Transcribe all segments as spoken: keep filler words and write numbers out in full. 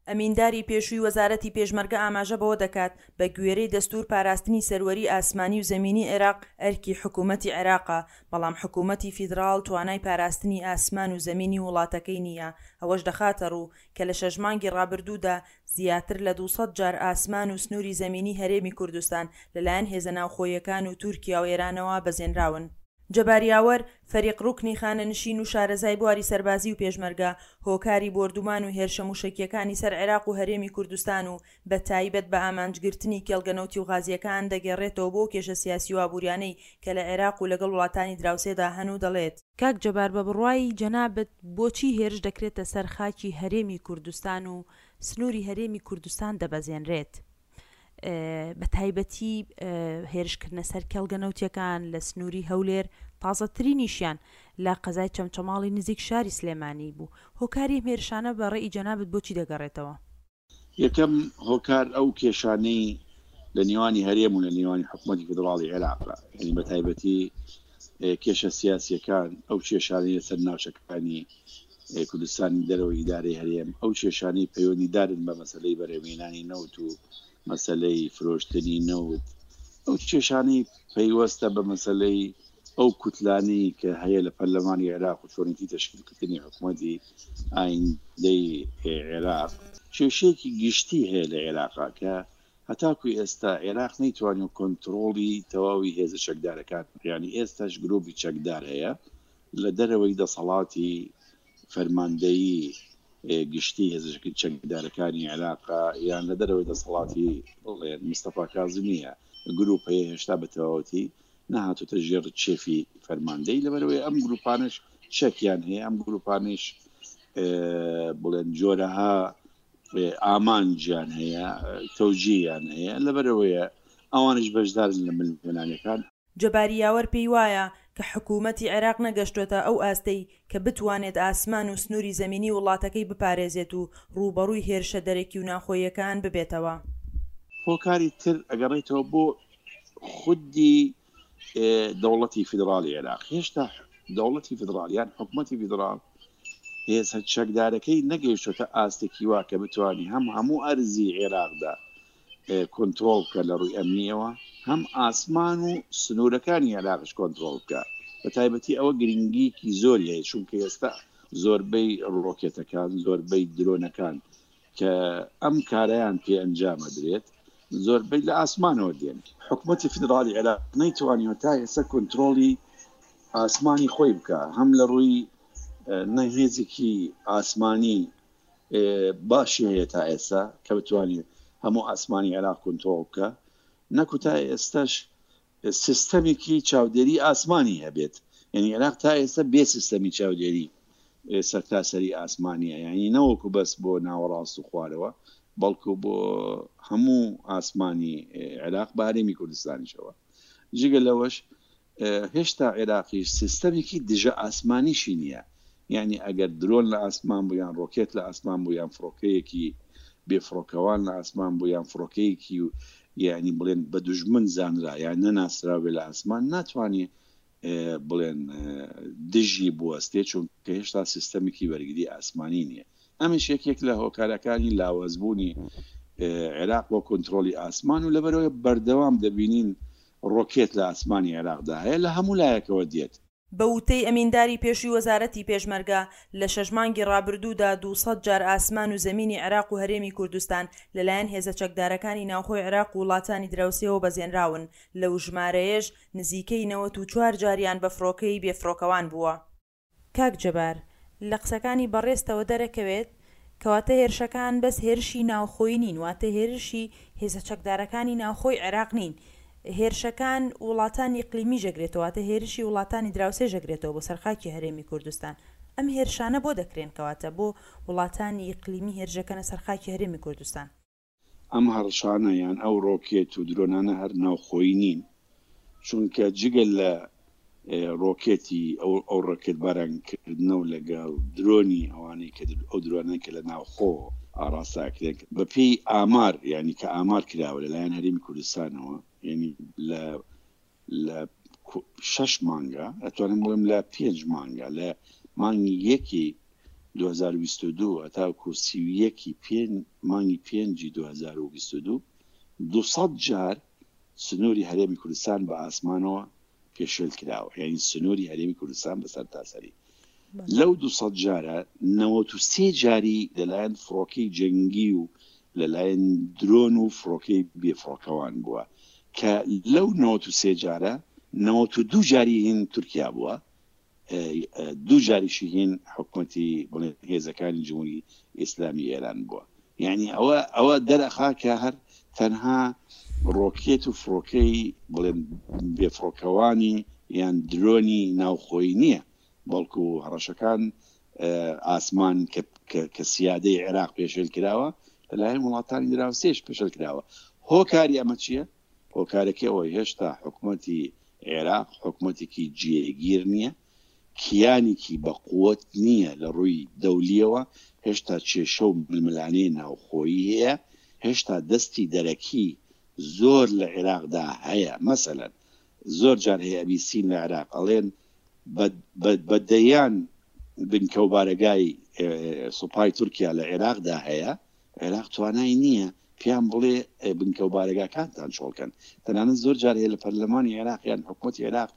ئەمینداری پێشووی وەزارەتی پێشمەرگە ئاماژە بەوە دەکات، بە گوێرەی دەستوور پاراستنی سەروەریی ئاسمانی و زەمینی عێراق ئەرکی حکوومەتی عێراقە، بەڵام حکوومەتی فیدراڵ توانای پاراستنی ئاسمان و زەمینی وڵاتەکەی نییە، ئەوەش دەخاتەڕوو، کە لە شەش مانگی ڕابردوودا زیاتر لە دوو سەد جار ئاسمان و سنووری زەمینی هەرێمی کوردستان لەلایەن هێزە ناوخۆییەکان و تورکیا و ئێرانەوە بەزێنراون. جەبار یاوەر، فەریق ڕوکنی خانەنشین و شارەزای بواری سەربازی و پێشمەرگە، هۆکاری بۆردومان و هێرشە موشەکییەکانی سەر عێراق و هەرێمی کوردستان و بە تایبەت بە ئامانجگرتنی کێڵگە نەوتی و غازییەکان دەگێڕێتەوە بۆ کێشە سیاسی و ئابووریانەی کە لە عێراق و لەگەڵ وڵاتانی دراوسێدا هەن و دەڵێت، کاک جەبار بە بڕوای جەنابت بۆچی هێرش دەکرێتە سەر خاکی هەرێمی کوردستان و سنووری هەرێمی کوردستان دەبەزێنرێت؟ بە تایبەتی هێرشکردنە سەر کێڵگە نەوتیەکان لە سنووری هەولێر تازەترینیشیان لە قەزای چەمچەماڵی نزیک شاری سلێمانی بوو هۆکاری ئەم هێرشانە بە ڕێی جەنابت بۆچی دەگەڕێتەوە؟ یەکەم هۆکار ئەو کێشانەی لە نێوانی هەرێم و لە نێوانی حکوومەتی فیدراڵی عێراقە، یعنی بە تایبەتی کێشە سیاسیەکان، ئەو کێشانەی لەسەر ناوچەکانی کوردستانی دەرەوەی ئیدارەی هەرێم، ئەو کێشانەی پەیوەندیدارن بە مەسەلەی بەرهەمهێنانی نەوت و مەسەلەی فرۆشتنی نەوت، ئەو کێشانەی پەیوەستە بە مەسەلەی ئەو کوتلانەی کە هەیە لە پەرلەمانی عێراق و چۆنێتی تەشکیلکردنی حکوومەتی ئایندەی عێراق. کێشەیەکی گشتی هەیە لە عێراقا کە هەتاکو ئێستا عێراق نەیتوانیوە کۆنترۆڵی تەواوی هێزە چەکدارەکان، یعنی ئێستاش گروپی چەکدار هەیە لە دەرەوەی دەسەڵاتی فەرماندەیی گشتی هێزە چەکدارەکانی عێراق یان لە دەرەوەی دەسەڵاتی بڵێن مستەفا کازمیە گروپ هەیە هێشتا بە تەواوەتی نەهاتوتە ژێر چێفی فەرماندەی، لەبەرەوەی ئەم گروپانش چەکیان هەیە، ئەم گروپانش بڵێن جۆرەها ئامانجیان هەیە، تەوجیهیان هەیە، لەبەرەوەیە ئەوانش بەشدارن لە ململانێکان. جەباری یاوەر پێی وایە کە حکوومەتی عێراق نەگەشتووەتە ئەو ئاستەی کە بتوانێت ئاسمان و سنووری زەمینی وڵاتەکەی بپارێزێت و ڕووبەڕووی هێرشە دەرەکی و ناوخۆییەکان ببێتەوە. هۆکاری تر ئەگەڕێتەوە بۆ خودی دەوڵەتی فیدراڵی عێراق. هێشتا دەوڵەتی فیدراڵ یان حکوومەتی فیدراڵ هێزە چەکدارەکەی نەگەیشتۆتە ئاستێکی وا کە بتوانێت هەم هەموو ئەرزی عێراقدا کۆنترۆڵ بکە لە ڕووی ئەمنیەوە، هەم ئاسمان و سنوورەکانی عێراقش کۆنترۆڵ بکە. بە تایبەتی ئەوە گرنگیکی زۆری هەیە، چونکە ئێستا زۆربەی ڕۆکێتەکان، زۆربەی درۆنەکان کە ئەم کارەیان پێ ئەنجامە درێت زۆربەی لە ئاسمانەوە دێن. حکوومەتی فیدراڵی عێراق نەیتوانیوە تا ئێستا کۆنترۆڵی ئاسمانی خۆی بکە، هەم لە ڕووی نەهێزێکی ئاسمانی باشی هەیە تا ئێستا کە بتوانێت هەموو ئاسمانی عێراق کۆنترۆڵ بکە، نەکو تا ئێستاش سیستەمێکی چاودێری ئاسمانی هەبێت. یعنی عێراق تا ئێستا بێ سیستەمی چاودێری سەرتاسەری ئاسمانیە، یعنی نەوەکو بەس بۆ ناوەڕاست و خوارەوە، بەڵکو بۆ هەموو ئاسمانی عێراق بە هەرێمی کوردستانیشەوە. جگە لەوەش هێشتا عێراقیش سیستەمێکی دژە ئاسمانیشی نییە، یعنی ئەگەر درۆن لە ئاسمان بوو یان ڕۆکێت لە ئاسمان بوو یان فڕۆکەیەکی بێفڕۆکەوان لە ئاسمان بوو یان فڕۆکەیەکی یعنی بڵێن بە دوژمن زانرا یان نەناسراوێ لە ئاسمان، ناتوانێت بڵێن دژی بوەستێ، چونکە هێشتا سیستەمێکی بەرگری ئاسمانی نییە. ئەمەش یەکێک لە هۆکارەکانی لاوازبوونی عێراق بۆ کۆنترۆڵی ئاسمان و لەبەرەوەی بەردەوام دەبینین ڕۆکێت لە ئاسمانی عێراقدا هەیە لە هەموو لایەکەوە دێت. بە وتەی ئەمینداری پێشووی وەزارەتی پێشمەرگە، لە شەش مانگی ڕابردوودا دوو سەد جار ئاسمان و زەمینی عێراق و هەرێمی کوردستان لەلایەن هێزە چەکدارەکانی ناوخۆی عێراق و وڵاتانی دراوسێوە بەزێنراون، لەو ژمارەیەش نزیکەی نەوەت و چوار جاریان بە فڕۆکەی بێفڕۆکەوان بووە. کاک جەبار، لە قسەکانی بەڕێزتەوە دەرەکەوێت کەواتە هێرشەکان بەس هێرشی ناوخۆیی نین، واتە هێرشی هێزە چەکدارەکانی ناوخۆی عێراق نین، هێرشەکان وڵاتانی ئیقلیمیش ئەگرێتەوە، واتە هێرشی وڵاتانی دراوسێش ئەگرێتەوە بۆ سەر خاکی هەرێمی کوردستان. ئەم هێرشانە بۆ دەکرێن کەواتە بۆ وڵاتانی ئیقلیمی هێرشەکەنە سەر خاکی هەرێمی کوردستان؟ ئەم هەڕشانە یان ئەو ڕۆکێت و درۆنانە هەر ناوخۆیی نین، چونکە جگە لە ڕۆکێتی ئەو ئەو ڕۆکێت بارانکردنەوە لەگەڵ درۆنی ئەوانەی کە ئەو درۆنەی کە لە ناوخۆ ئاڕاستاکرێن بەپێی ئامار، یعنی کە ئامار کراوە لەلایەن هەرێمی کوردستانەوە، یعنی لە لە شەش مانگە ئەتوانم بڵێم لە پێنج مانگە لە مانگی یەکی دوو هەزار و بیست و دوو هەتاکو سی و یەکی مانگی پێنجی دوو هەزار و بیست و دوو دوو سەد جار سنووری هەرێمی کوردستان بە ئاسمانەوە پێشێل کراوە، یعنی سنووری هەرێمی کوردستان بە سەرتاسەری. لەو دوو سەد جارە نەوەت و سێ جاری لەلایەن فڕۆکەی جەنگی و لەلایەن درۆن و فڕۆکەی بێفڕۆکەوان بووە کە لەو نەوەت و سێ جارە نەوەت و دوو جاری هین تورکیا بووە، دوو جاریشی هین حکوومەتی بڵێن هێزەکانی جمهوری ئیسلامی ئێران بووە. یعنی ئەوە ئەوە دەرەخا کە هەر تەنها ڕۆکێت و فڕۆکەی بڵێن بێفڕۆکەوانی یان درۆنی ناوخۆیی نییە، بەڵکو هەڕەشەکان ئاسمان کە سیادەی عێراق پێشێل کراوە لەلایەن وڵاتانی دراوسێش پێشێل کراوە. هۆکاری ئەمە چییە؟ هۆکارەکەی ئەوەی هێشتا حکوومەتی عێراق حکوومەتێکی جێگیر نییە، کیانێکی بەقووەت نییە لە ڕووی دەولیەوە، هێشتا کێشە و ململانێ ناوخۆیی هەیە، هێشتا دەستی دەرەکی زۆر لە عێراقدا هەیە. مەسەلەن زۆر جار هەیە ئەبیسین لە عێراق ئەڵێن بە دەیان بنکە و بارەگای سوپای تورکیا لە عێراقدا هەیە، عێراق توانای نییە پێیان بڵێ بنکە و بارەگاکانتان چۆڵکەن. تەنانەت زۆر جار هەیە لە پەرلەمانی عێراق یان حکوومەتی عێراق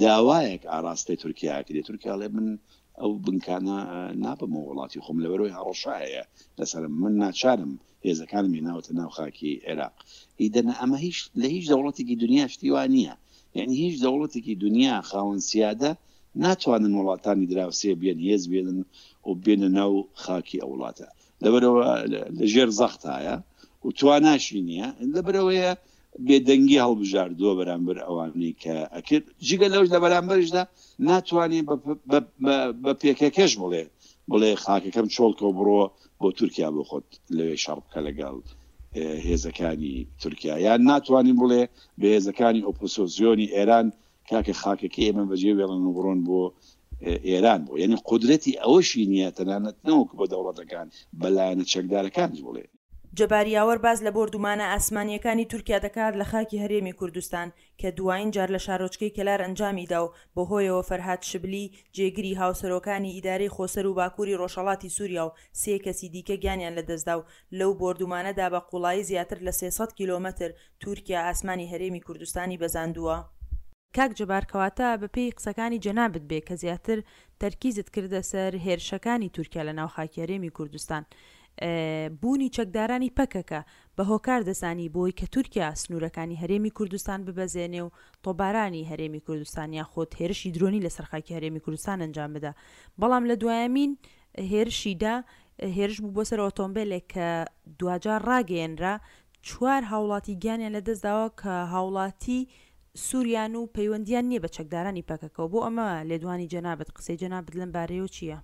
داوایەک ئاراستەی تورکیا کرێ، تورکیا ئەڵێ من ئەو بنکانە نابمەوە وڵاتی خۆم لەبەرەوەی هەڕەشە هەیە لەسەرم، من ناچارم هێزەکانم هێناوەتە ناو خاکی عێراق. ئیدەنە ئەمە هیچ لە هیچ دەوڵەتێکی دنیا شتی وا نییە، یعنی هیچ دەوڵەتێکی دنیا خاوەن سیادە ناتوانن وڵاتانی دراوسێ بێن هێز بێنن و بێنە ناو خاکی ئەو وڵاتە، لەبەرەوە لەژێر زەختایە و تواناشی نییە، لەبەرەوەیە بێدەنگی هەڵبژاردووە بەرامبەر ئەوانەی کە ئەکرد. جگە لەوش لە بەرامبەرشدا ناتوانێت بە پێکەکەش بڵێ بڵێ خاکەکەم چۆڵکەوە بڕۆ بۆ تورکیا بۆ خۆت لەوێ شەڕ بکە لەگەڵ هێزەکانی تورکیا، یان ناتوانین بڵێ بە هێزەکانی ئۆپۆزیسیۆنی ئێران کاکە خاکەکە ئێمە بەجێ وێڵن و بڕۆن بۆ ئێران بۆ، یعنی قودرەتی ئەوەشی نییە تەنانەت نەوەک بۆ دەوڵەتەکان بەلایەنە چەکدارەکانیش بڵێ. جەبار یاوەر باز لە بۆردومانە ئاسمانیەکانی تورکیا دەکات لە خاکی هەرێمی کوردستان کە دوایین جار لە شارۆچکەی کەلار ئەنجامیدا و بەهۆیەوە فەرهاد شبلی جێگری هاوسەرۆکانی ئیدارەی خۆسەر و باکووری ڕۆژهەڵاتی سووریا و سێ کەسی دیکە گیانیان لەدەستدا و لەو بۆردومانەدا بە قوڵایی زیاتر لە سێ سەد کیلۆمەتر تورکیا ئاسمانی هەرێمی کوردستانی بەزاندووە. کاک جەبار، کەواتە بەپێی قسەکانی جەنابت بێ کە زیاتر تەرکیزت کردە سەر هێرشەکانی تورکیا لە ناو خاکی هەرێمی کوردستان، بوونی چەکدارانی پەکەکە بە هۆکار دەزانی بۆی کە تورکیا سنوورەکانی هەرێمی کوردستان ببەزێنێ و تۆبارانی هەرێمی کوردستان یاخود هێرشی درۆنی لەسەر خاکی هەرێمی کوردستان ئەنجام بدا، بەڵام لە دوایەمین هێرشیدا هێرش بوو بۆ سەر ئۆتۆمبیلێک کە دواجار ڕاگەیەنرا چوار هاوڵاتی گیانیان لەدەستداوە کە هاوڵاتی سووریان و پەیوەندیان نییە بە چەکدارانی پەکەکەوە. بۆ ئەمە لێدوانی جەنابت، قسەی جەنابت لەم بارەیەوە چییە؟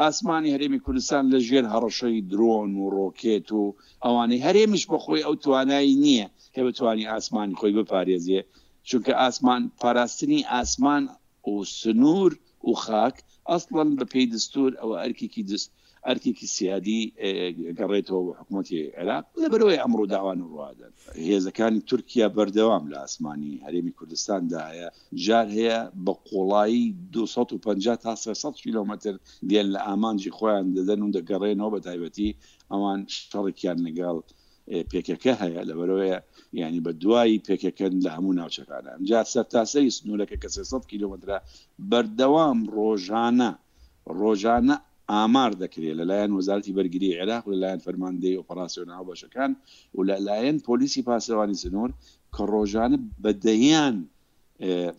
ئاسمانی هەرێمی کوردستان لە ژێر هەڕەشەی درۆن و ڕۆکێت و ئەوانەی هەرێمیش بەخۆی ئەو توانایی نییە کە بتوانانی ئاسمانی خۆی بپارێزێ، چونکە ئاسمان پاراستنی ئاسمان و سنوور و خاک ئەسڵەن بە پێی دەستور ئەوە ئەرکێکی دەست ئەرکێکی سیادی گەڕێتەوە بۆ حکوومەتی عێراق. لەبەرەوەی ئەمڕۆ داوان و ڕوادەن هێزەکانی تورکیا بەردەوام لە ئاسمانی هەرێمی کوردستاندا هەیە، جار هەیە بە قوڵایی دوو سەد و پەنجا تا سێ سەد کیلۆمەتر دێن لە ئامانجی خۆیان دەدەن و دەگەڕێنەوە، بە تایبەتی ئەوان شەڕێکیان لەگەڵ پێکەکە هەیە، لەبەرەوەیە یعنی بە دوایی پێکەکەن لە هەموو ناوچەکانە. ئەمجا سەرتاسەری سنوورەکە کە سێ سەد کیلۆمەترە بەردەوام ڕۆژانە ڕۆژانە ئامار دەکرێت لەلایەن وەزارەتی بەرگری عێراق و لەلایەن فەرماندەی ئۆپەراسیۆن هاوبەشەکان و لەلایەن پۆلیسی پاسەوانی سنوور کە ڕۆژانە بە دەیان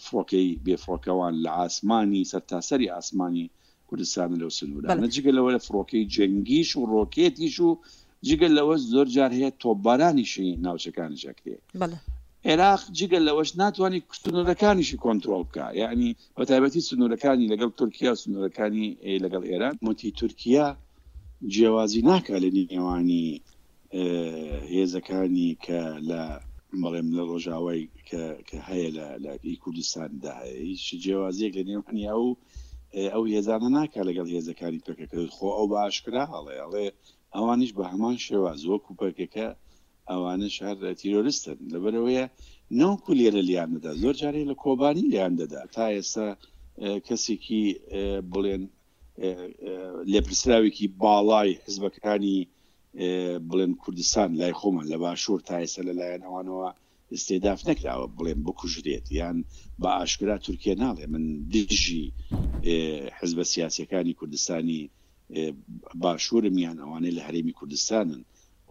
فڕۆکەی بێفڕۆکەوان لە ئاسمانی سەرتاسەری ئاسمانی کوردستان لەو سنوورانە، جگە لەوە لە فڕۆکەی جەنگیش و ڕۆکێتیش و جگە لەوە زۆر جار هەیە تۆپبارانیشی ناوچەکانیش ئەکرێ. عێراق جگە لەوەش ناتوانێت سنوورەکانیشی کۆنترۆڵ بکە، یعنی بە تایبەتی سنوورەکانی لەگەڵ تورکیا و سنوورەکانی لەگەڵ ئێران. متی تورکیا جیاوازی ناکا لە نێوانی هێزەکانی کە لە بەڵێم لە ڕۆژاوای کە هەیە لە کوردستاندا هەیە، هیچ جیاوازیەک لە نێوانی ئەو ئەو هێزانە ناکا لەگەڵ هێزەکانی پەکەکە. خۆ ئەو بە ئاشکرا ئەڵێ ئەڵێ ئەوانیش بە هەمان شێواز وەکو پەکەکە ئەوانش هەر تیرۆریستن، لەبەرەوەیە نەوەکو لێرە لیان دەدا، زۆر جارێ لە کۆبانی لیان دەدا. تا ئێستا کەسێکی بڵێن لێپرسراوێکی باڵای حزبەکانی بڵێن کوردستان لای خۆمان لە باشوور تا ئێستا لەلایەن ئەوانەوە ئیستیداف نەکراوە بڵێن بکوژرێت، یان بە ئاشکرا تورکیا ناڵێ من دژی حزبە سیاسیەکانی کوردستانی باشوورم یان ئەوانەی لە هەرێمی کوردستانن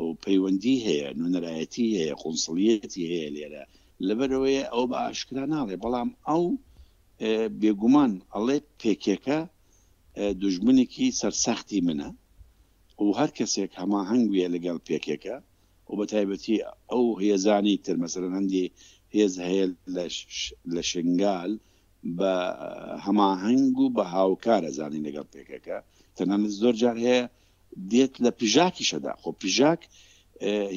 و پەیوەندی هەیە، نوێنەرایەتی هەیە، قونسڵیەتی هەیە لێرە، لەبەرەوەیە ئەو بە ئاشکرا ناڵێ. بەڵام ئەو بێگومان ئەڵێ پێکێکە دوژمنێکی سەرسەختی منە و هەر کەسێک هەماهەنگ بێ لەگەڵ پێکێکە و بە تایبەتی ئەو هێزانی تر، مەسەلەن هەندێ هێز هەیە لە شنگال بە هەماهەنگ و بە هاوکارە زانین لەگەڵ پێکەکە، تەنانەت زۆر جار هەیە دێت لە پژاکیشەدا. خۆ پژاک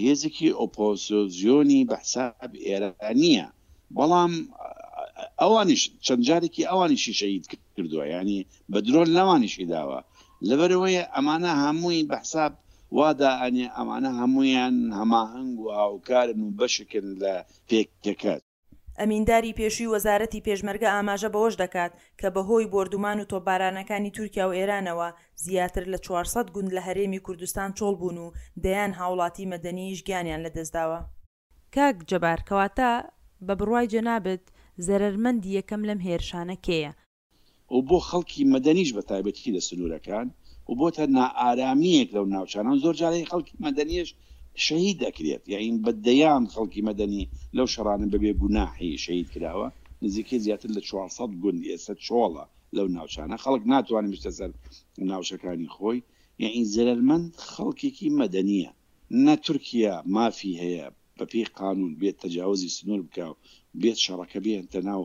هێزێکی ئۆپۆزیسیۆنی بە حساب ئێرانیە، بەڵام ئەوانیش چەند جارێکی ئەوانیشی شەهید کردووە، ینی بە درۆن لەوانیشی داوە. لەبەرەوەی ئەمانە هەمووی بە حساب وادا ئەنێ ئەمانە هەمویان هەماهەنگ و هاوکارن و بەشکن لە پێکەکە. ئەمینداری پێشووی وەزارەتی پێشمەرگە ئاماژە بەوەش دەکات کە بەهۆی بۆردومان و تۆپبارانەکانی تورکیا و ئێرانەوە زیاتر لە چوار سەد گوند لە هەرێمی کوردستان چۆڵ بوون و دەیان هاوڵاتی مەدەنیش گیانیان لەدەستداوە. کاک جەبار کەواتە بە بڕوای جەنابت زەرەرمەندی یەکەم لەم هێرشانە کێیە؟ و بۆ خەڵکی مەدەنیش بە تایبەتی لە سنوورەکان و بۆتە نائارامیەک لەو ناوچانە. زۆر جارێک خەڵکی مەدەنیش شەهید دەکرێت، یعنی بە دەیان خەڵکی مەدەنی لەو شەڕانە بەبێ گوناحی شەهید کراوە. نزیکەی زیاتر لە چوار سەد گوند ئێستا چۆڵە لەو ناوچانە، خەڵک ناتوانێت بچێتە سەر ناوچەکانی خۆی. یعنی زەرەرمەند خەڵکێکی مەدەنیە. نە تورکیا مافی هەیە بە پێی قانون بێت تەجاوزی سنوور بکە و بێت شەڕەکە بێنتە ناو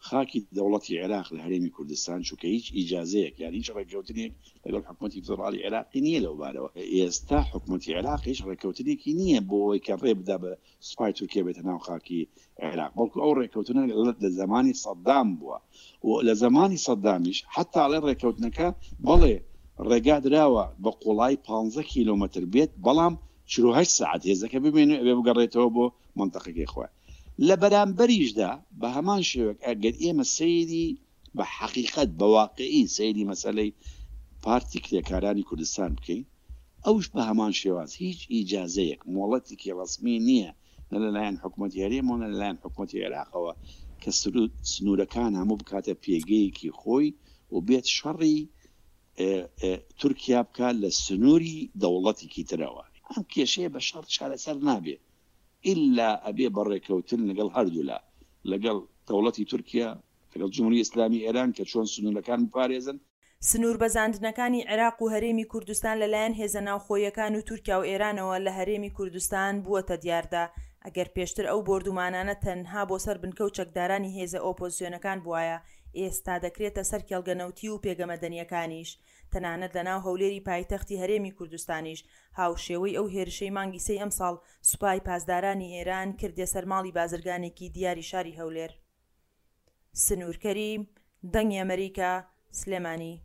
خاکی دەوڵەتی عێراق لە هەرێمی کوردستان، چونکە هیچ ئیجازەیەک یان هیچ ڕێککەوتنێک لەگەڵ حکوومەتی فیدراڵی عێراقی نییە لەو بارەوە. ئێستا حکوومەتی عێراق هیچ ڕێککەوتنێکی نییە بۆ ئەوەی کە ڕێ بدا بە سوپای تورکیا بێتە ناو خاکی عێراق، بەڵکو ئەو ڕێککەوتنە لە زمانی سەدام بووە و لە زمانی سەدامیش حتا ئەڵێ ڕێککەوتنەکە بەڵێ ڕێگا دراوە بە قوڵای پانزە کیلۆمەتر بێت، بەڵام چل و هەشت سەعات هێزەکە بمێنێ ئەبێ بگەڕێتەوە بۆ منطقەکەی خۆی. لە بەرامبەریشدا بە هەمان شێوەک ئەگەر ئێمە سەیری بە حەقیقەت بە واقعی سەیری مەسەلەی پارتی کرێکارانی کوردستان بکەین، ئەوش بە هەمان شێواز هیچ ئیجازەیەک مۆڵەتێکی ڕەسمی نییە نە لەلایەن حکوومەتی هەرێمەوە نە لەلایەن حکوومەتی عێراقەوە کە سنوورەکان هەموو بکاتە پێگەیەکی خۆی و بێت شەڕی تورکیا بکات لە سنووری دەوڵەتێکی ترەوە. ئەم کێشەیە بە شەڕ چارەسەر نابێت ئللا ئەبێ بەڕێکەوتن لەگەڵ هەردوولا، لەگەڵ دەوڵەتی تورکیا، لەگەڵ جمهوری ئیسلامی ئێران کە چۆن سنوورەکان بپارێزن. سنوور بەزاندنەکانی عێراق و هەرێمی کوردستان لەلایەن هێزە ناوخۆیەکان و تورکیا و ئێرانەوە لە هەرێمی کوردستان بووەتە دیاردە. ئەگەر پێشتر ئەو بۆردومانانە تەنها بۆ سەر بنکە و چەکدارانی هێزە ئۆپۆزیسیۆنەکان بوایە، ئێستا دەکرێتە سەر کێڵگە نەوتی و پێگە مەدەنیەکانیش. تەنانەت لەناو هەولێری پایتەختی هەرێمی کوردستانیش هاوشێوەی ئەو هێرشەی مانگی سێی ئەمساڵ سوپای پاسدارانی ئێران کردێ سەر ماڵی بازرگانێکی دیاری شاری هەولێر. سنوور کەریم، دەنگی ئەمریکا، سلێمانی.